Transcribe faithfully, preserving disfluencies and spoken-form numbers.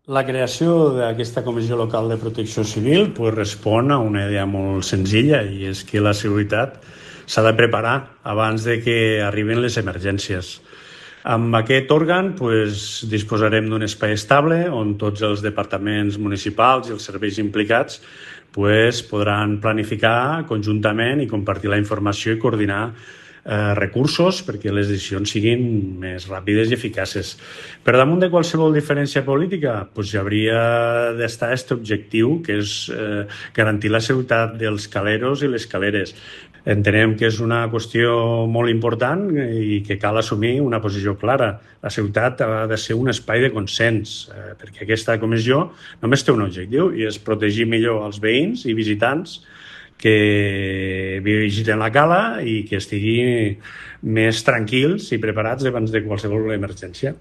La creació d'aquesta Comissió Local de Protecció Civil pues, respon a una idea molt senzilla i és que la seguretat s'ha de preparar abans de que arribin les emergències. Amb aquest òrgan pues, disposarem d'un espai estable on tots els departaments municipals i els serveis implicats pues, podran planificar conjuntament i compartir la informació i coordinar eh, recursos perquè les decisions siguin més ràpides i eficaces. Per damunt de qualsevol diferència política pues, hi hauria d'estar aquest objectiu, que és eh, garantir la seguretat dels caleros i les caleres. Entenem que és una qüestió molt important i que cal assumir una posició clara. La ciutat ha de ser un espai de consens, eh, perquè aquesta comissió només té un objectiu i és protegir millor els veïns i visitants que visiten la cala i que estiguin més tranquils i preparats davant de qualsevol emergència.